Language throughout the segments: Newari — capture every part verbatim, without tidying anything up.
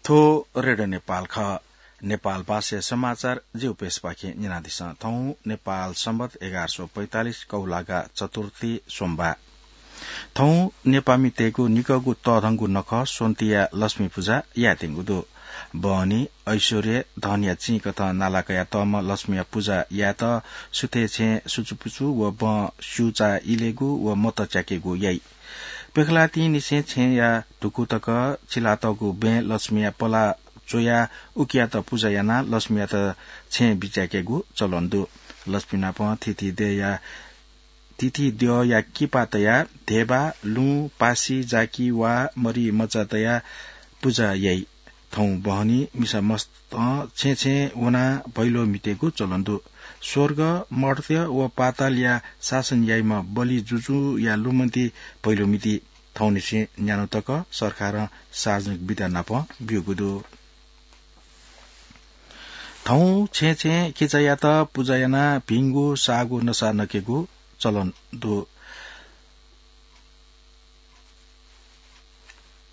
थ्व रेडियो नेपाल खः। नेपाल भाषाया समाचार जिगु प्रेसपाखें न्यनादिसँ। थौं नेपाल संवत एघार सौ पैंतालिस कौलागा चतुर्थी सोमबार। थौं नेपाःमितय्गु निकःगु तःधंगु नखः स्वन्तिया लक्ष्मी पुजा यायेत्यंगु दु। बहनी, ऐश्वर्य, धनया चिं कथं नाला कयातःम्ह लक्ष्मीया पुजा यायेत सुथय् छेँ सुचुपुचु व बँ स्यूचा इलेगु व मत च्याकेगु याइ। प्यखलातिंनिसें छेँया धुकू तक चिलातःगु बँय् लक्ष्मीया पला च्वयाः उकियात पुजा यानाः लक्ष्मीयात छेँ बिचाय्केगु चलन दु। लक्ष्मी नाप थीथी द्यःया, थीथी द्यःया किपा तयाः धेबा, लुँ, पासि, जाकि वा मरि मचा तयाः पुजा याइ। थौं बहनी मिसा मस्त छेँ छेँ वनाः भैलो म्हितेगु चलन दु। स्वर्ग, मर्त्य व पातालया शासन याइम्ह बलि जुजुया लुमन्ति भैलो म्हिति थौंनिसें न्यान्हु तक सरकारं सार्वजनिक विधा नाप ब्यूगु दु। थौं छेँ छेँ खिचायात पुजा यानाः भिंगु साःगु नसा नकेगु चलन दु।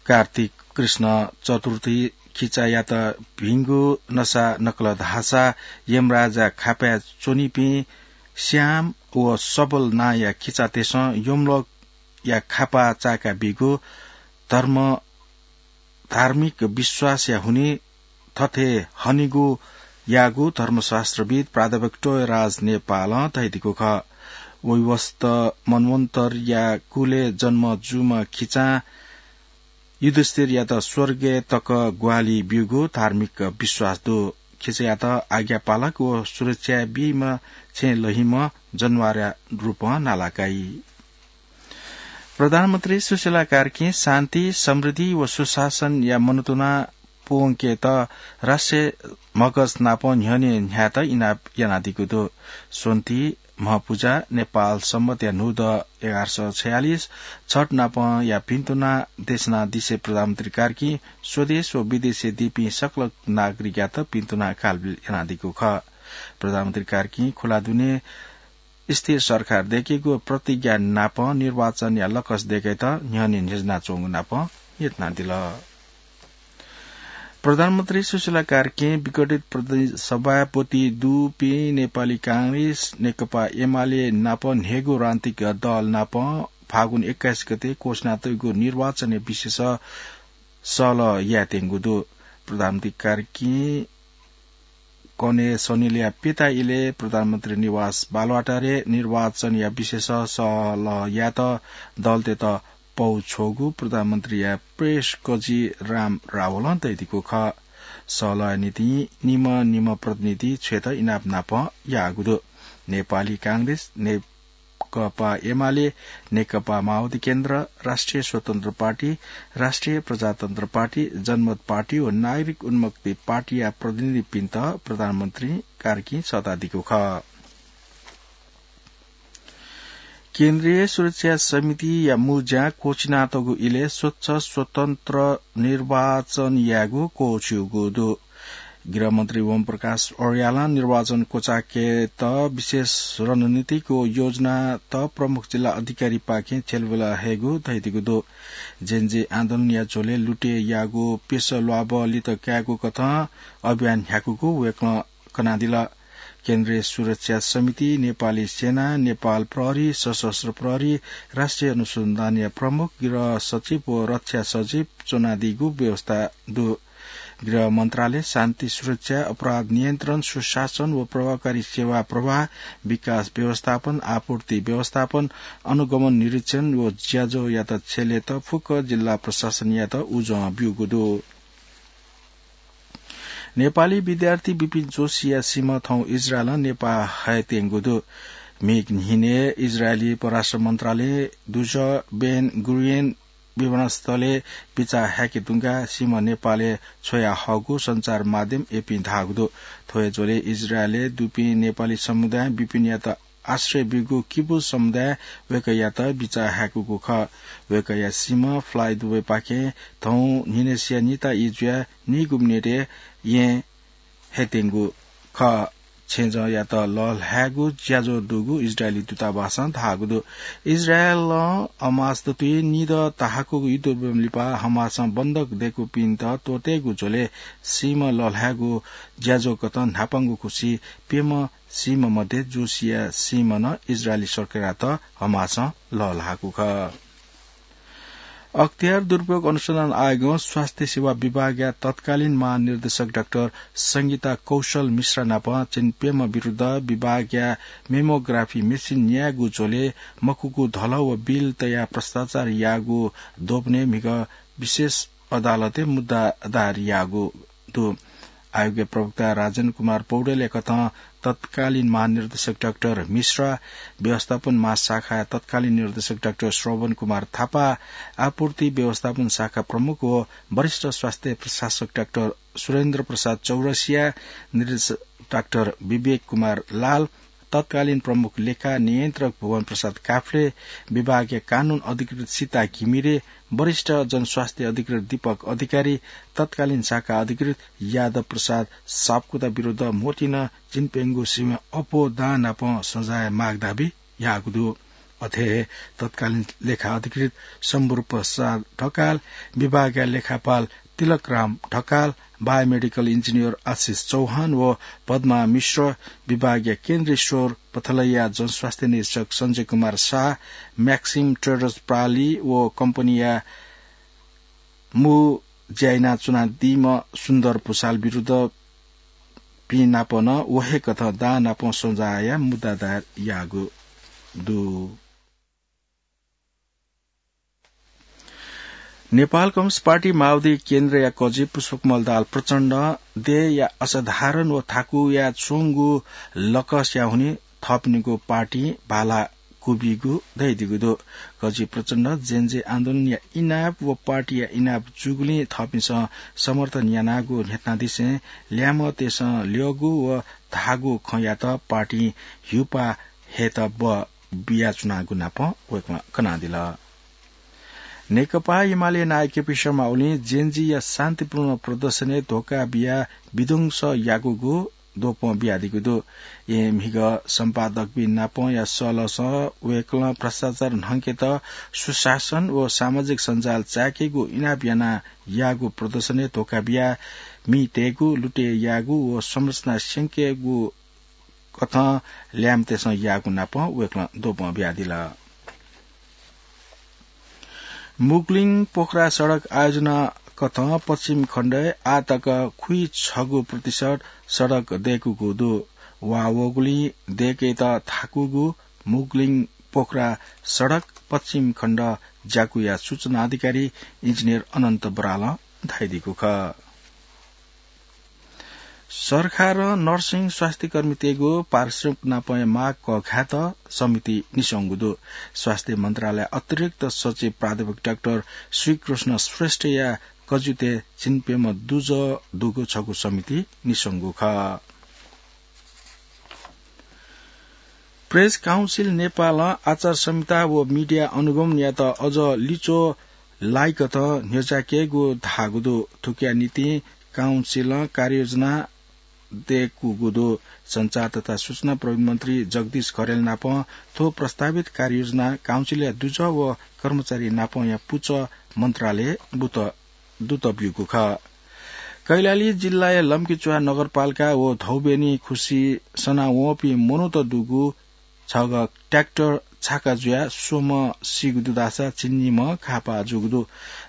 कार्तिक कृष्ण चतुर्थी खिचायात भिंगु नसा नकल धाःसा यमराजा खापाय् च्वनीपिं श्याम व सबल नांया खिचातय्सं यमलोकया खापा चाय्का बीगु धर्म, धार्मिक विश्वासया हुनिं थथे हनेगु याःगु धर्मशास्त्रविद् प्राध्यापक टोयराज नेपालं धयादीगु खः। वैवस्वत मन्वन्तरया कुलय् जन्म जूम्ह खिचां युधिष्ठिरयात स्वर्गय् तक ग्वाहालि ब्यूगु धार्मिक विश्वास दु। खिचायात आज्ञापालक व सुरक्षा बीम्ह छेँ लहीम्ह जनावरया रूपं नाला काइ। प्रधानमन्त्री सुशीला कार्कीं शान्ति, समृद्धि व सुशासनया मनोत्तुना पूवंकेत राष्ट्रिय म्हगस नाप न्ह्यःने न्ह्यायेत इनाप यानादीगु दु। स्वन्ति, म्हपुजा, नेपाल संवतया न्हूदँ एघार सय छयालिस, छठ नापया भिन्तुना देछानादिसें प्रधानमन्त्री कार्कीं स्वदेश व विदेशय् दीपिं सकल नागरिकयात भिन्तुना कालबिल यानादीगु खः। प्रधानमन्त्री कार्कीं खुला दुने स्थिर सरकार दय्केगु प्रतिज्ञा नाप निर्वाचनया लकस दय्केत न्ह्यःने न्ह्यज्यानाच्वंगु नाप न्ह्यथनादिल। प्रधानमन्त्री सुशीला कार्कीं विघटित प्रदेश सभापति दुपिं नेपाली कांग्रेस, नेकपा एमाले नाप न्हय्गू राजनीतिक दल नाप फागुन एक्काइस गते घोषणा तइगु निर्वाचनया विषयस सहलह यायेत्यंगु दु। प्रधानमन्त्री कार्कीं कन्हय् सनिलया प्यता इलय् प्रधानमन्त्री निवास बालुवाटारय् निर्वाचनया विषयस सहलह यायेत दलतय्त पौ छ्वःगु प्रधानमन्त्रीया प्रेस कजि राम रावलं धयादीगु खः। सहलहया निंतिं निम्ह निम्ह प्रतिनिधि छ्वयेत इनाप नाप याःगु दु। नेपाली कांग्रेस, ने-, नेकपा एमाले, नेकपा माओवादी केन्द्र, राष्ट्रिय स्वतन्त्र पार्टी, राष्ट्रिय प्रजातन्त्र पार्टी, जनमत पार्टी व नागरिक उन्मुक्ति पार्टीया प्रतिनिधिपिन्त प्रधानमन्त्री कार्कीं सःतादीगु खः। केन्द्रीय सुरक्षा समितिया मुंज्यां क्वःछिनातःगु इलय् स्वच्छ स्वतन्त्र निर्वाचन यायेगु क्वःछिउगु दु। गृहमन्त्री ओम प्रकाश अर्यालं निर्वाचन क्वचायेकेत विशेष रणनीतिक योजनात प्रमुख जिल्ला अधिकारीपाखें छ्यलाबुला हयेगु धयादीगु दु। जेन जी आन्दोलनया झ्वलय् लुटे याःगु प्यसः ल्वाभः लित कायेगु कथं अभियान न्ह्याकूगु वय्कलं कनादिल। केन्द्रीय सुरक्षा समिति, नेपाली सेना, नेपाल प्रहरी, सशस्त्र प्रहरी, राष्ट्रिय अनुसन्धानया प्रमुख, गृह सचिव व रक्षा सचिव च्वनादीगु व्यवस्था दु। गृह मन्त्रालय शान्ति सुरक्षा, अपराध नियन्त्रण, सुशासन व प्रभावकारी सेवा प्रवाह, विकास व्यवस्थापन, आपूर्ति व्यवस्थापन, अनुगमन निरीक्षण व ज्याझ्वःयात छ्यलेत फुक्क जिल्ला प्रशासनयात उजं ब्यूगु दु। नेपाली विद्यार्थी विपिन जोशीया सीम्ह थौं इजरायलं नेपाः हयेत्यंगु दु। म्हिगः न्हिनय् इजरायली परराष्ट्र मन्त्रालयं दुजः बेन गुरियन विमानस्थलय् बिचाः हायेके धुंकाः सीम्ह नेपालय् छ्वया हःगु सञ्चार माध्यम एपीं धाःगु दु। थ्व हे झ्वलय् इजरायलय् दुपिं नेपाली समुदायं विपिनयात आश्रय ब्यूगु किबुज समुदायं वय्कःयात बिचाः हायेकूगु खः। वय्कःया सीम्ह Fly Dubai पाखें थौं न्हिनसिया निता ई जुयाः नीगू मिनेटय् येँ हयेत्यंगु खः। छेँजःयात लःल्हायेगु ज्याझ्वः दुगु इजरायली दूतावासं धाःगु दु। इजरायलं हमास दथुइ निदँ धाःगु युद्ध ब्यूगु लिपा हमासं बन्धक दय्कूपिन्त त्वःतेगु झ्वलय् सीम्ह लःल्हायेगु ज्याझ्वः कथं न्हापांगु खुसि प्यम्ह सीम्ह मध्ये जोसिया सीम्ह नं इजरायली सरकारयात हमासं लःल्हाःगु खः। अख्तियार दुरुपयोग अनुसन्धान आयोगं स्वास्थ्य सेवा विभागया तत्कालीन महानिर्देशक डाक्टर संगीता कौशल मिश्रा नाप झिंप्यम्ह विरुद्ध विभागया mammography machine न्यायेगु झ्वलय् मखुगु धलः व बिल तयाः भ्रष्टाचार याःगु द्वपनय् म्हिगः विशेष अदालतय् मुद्दा दायर याःगु दु। आयोगया प्रवक्ता राजेन्द्र कुमार पौडेलया कथं तत्कालीन महानिर्देशक डाक्टर मिश्रा, व्यवस्थापन महाशाखाया तत्कालीन निर्देशक डाक्टर श्रवण कुमार थापा, आपूर्ति व्यवस्थापन शाखा प्रमुख व वरिष्ठ स्वास्थ्य प्रशासक डाक्टर सुरेन्द्र प्रसाद चौरसिया, निर्देशक डाक्टर विवेक कुमार लाल, तत्कालीन प्रमुख लेखा नियन्त्रक भुवन प्रसाद काफ्ले, विभागया कानून अधिकृत सीता घिमिरे, वरिष्ठ जनस्वास्थ्य अधिकृत दीपक अधिकारी, तत्कालीन शाखा अधिकृत यादव प्रसाद सापकोटा विरुद्ध मोतिनं झिंप्यंगू सीम्ह अप्वः दां नाप सजाय माग दाबी याःगु दु। अथे हे तत्कालीन लेखा अधिकृत शम्भुर प्रसाद ढकाल, विभागया लेखापाल तिलकराम ढकाल, बायोमेडिकल इन्जिनियर आशिष चौहान व पद्मा मिश्र, विभागया केन्द्रीय स्वर पथलैया जनस्वास्थ्य निरीक्षक सञ्जय कुमार शाह, म्याक्सिम ट्रेडर्स प्राली व कम्पनीया मू ज्या यानाच्वनादीम्ह सुन्दर भुसाल विरुद्ध पिं नाप नं व हे कथं दां नाप सजाय मुद्दा दायर याःगु दु। नेपाल कम्युनिस्ट पार्टी माओवादी केन्द्रया कजि पुष्पकमल दाहाल प्रचण्डं देय्‌या असाधारण व थाकुया च्वंगु लकसया हुनिं थःपिनिगु पार्टी भाला क्वबिगु धयादीगु दु। कजि प्रचण्डं जेनजी आन्दोलनया इनाप व पार्टीया इनाप जूगुलिं थःपिन्सं समर्थन यानागु न्ह्यथनादिसें ल्याय्म्हतय्‌सं ल्यःगु व धाःगु खँयात पार्टीं ह्यूपाः हयेत ब बियाच्वनागु नाप वय्‌कलं कनादिल। नेकपा एमाले नायः केपी शर्मा ओलीं जेनजीया शान्तिपूर्ण प्रदर्शनय् धोखा बियाः विध्वंस याकूगु द्वपं बियादीगु दु। येँ म्हिगः सम्पादकपिं नापंया सलसं वय्‌कलं भ्रष्टाचार न्हंकेत सुशासन व सामाजिक सञ्जाल चाय्‌केगु इनाप यानाः याःगु प्रदर्शनय् धोखा बियाः मि तयेगु, लुटे याःगु व संरचना स्यंकेगु कथं ल्याय्‌म्हतय्‌सं याःगु नाप वय्‌कलं द्वपं बियादिल। मुगलिङ पोखरा सडक आयोजना कथं पश्चिम खण्डय् आः तक खुइछगू प्रतिशत सडक दय्‌कूगु दु। वा वःगुलिं दय्‌केत थाकूगु मुगलिङ पोखरा सडक पश्चिम खण्ड ज्याकुया सूचना अधिकारी इन्जिनियर अनन्त बरालं धयादीगु खः। सरकारं नर्सिङ स्वास्थ्यकर्मीतय्‌गु पारिश्रमिक नापंया माग कःघायेत समिति निस्वंगु दु। स्वास्थ्य मन्त्रालय अतिरिक्त सचिव प्राध्यापक डाक्टर श्रीकृष्ण श्रेष्ठया कज्जुतय् झिंप्यम्ह दुजः दुगु छगू समिति निस्वंगु खः। प्रेस काउन्सिल नेपालं आचार संहिता व मिडिया अनुगमनयात अझ लिच्वः लाइकथं न्ह्यज्याकेगु धाःगु दु। थुकिया निंतिं काउन्सिलं कार्ययोजना दय्‌कूगु दु। सञ्चार तथा सूचना प्रविधि मन्त्री जगदीश खरेल नाप थ्व प्रस्तावित कार्ययोजना काउन्सिलया दुजः व कर्मचारी नापंया पुचः मन्त्रालयय् बुत दूत ब्यूगु खः। कैलाली जिल्लाया लम्कीचुवा नगरपालिका व धौबेनी खुसि सनावंपिं मनूत दुगु छगः ट्र्याक्टर छाका जुयाः स्वम्ह सीगु दु धाःसा झिंनिम्ह घाःपाः जूगु दु।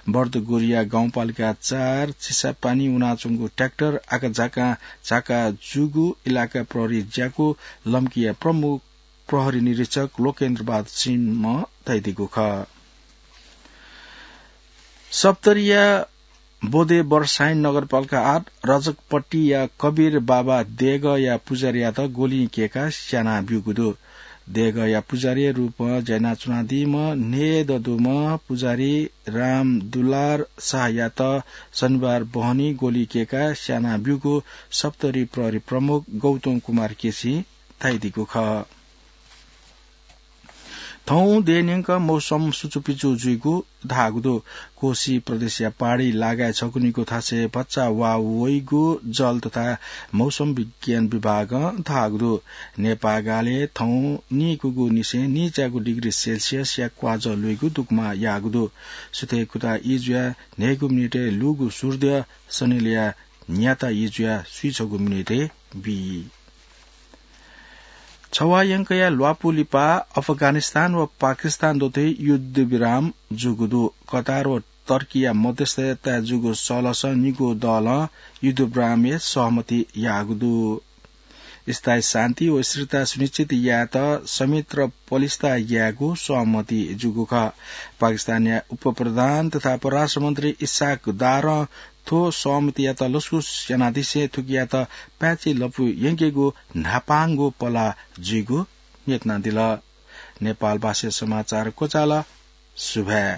बर्दगोरिया गाउँपालिका चार चिसापानी वनाच्वंगु ट्र्याक्टर आकाझाकां छाका जूगु इलाका प्रहरी ज्याकू लम्कीया प्रमुख प्रहरी निरीक्षक लोकेन्द्र बहादुर सिंहं धयादीगु खः। सप्तरीया बोदे बर्साइन नगरपालिका आठ रजकपट्टीया कबीर बाबा देगःया पुजारीयात गोलिं केकाः स्याना ब्यूगु दु। देगःया पुजारीया रूपं ज्या यानाच्वनादीम्ह न्हय्‌दँ दुम्ह पुजारी रामदुलार शाहयात शनिबार बहनी गोलिं केकाः स्याना ब्यूगु सप्तरी प्रहरी प्रमुख गौतम कुमार केसीं धयादीगु खः। थौं देय्‌न्यंक मौसम सुचुपिचु जुइगु धाःगु दु। कोशी प्रदेशया पहाडी लागाय् छकू निगू थासय् भचा वा वइगु जल तथा मौसम विज्ञान विभागं धाःगु दु। नेपाःगालय् थौं नीकुगु निसें नीच्यागु डिग्री सेल्सियसया क्वाजः लुइगु दुगुमा याःगु दु। सुथय् कुता ई जुयाः न्हय्‌गू मिनेटय् लूगु सूर्य सनिलया न्याता ई जुयाः स्वीछगू मिनेटय् बी। छवाः यंकया ल्वापु लिपा अफगानिस्तान व पाकिस्तान दथुइ युद्धविराम जूगु दु। कतार व टर्कीया मध्यस्थताय् जूगु सलसं निगू दलं युद्धविरामय् सहमति याःगु दु। स्थायी शान्ति व स्थिरता सुनिश्चित यायेत संयन्त्र पलिस्था यायेगु सहमति जूगु खः। पाकिस्तानया उपप्रधान तथा परराष्ट्र मन्त्री इसाक दारं थ्व सहमतियात लसकुस यानादिसें थुकियात पाय्‌छि लँपु यंकेगु न्हापांगु पला जुइगु न्ह्यथनादिल। नेपाल भाषा समाचार क्वचाल। सुभाय्।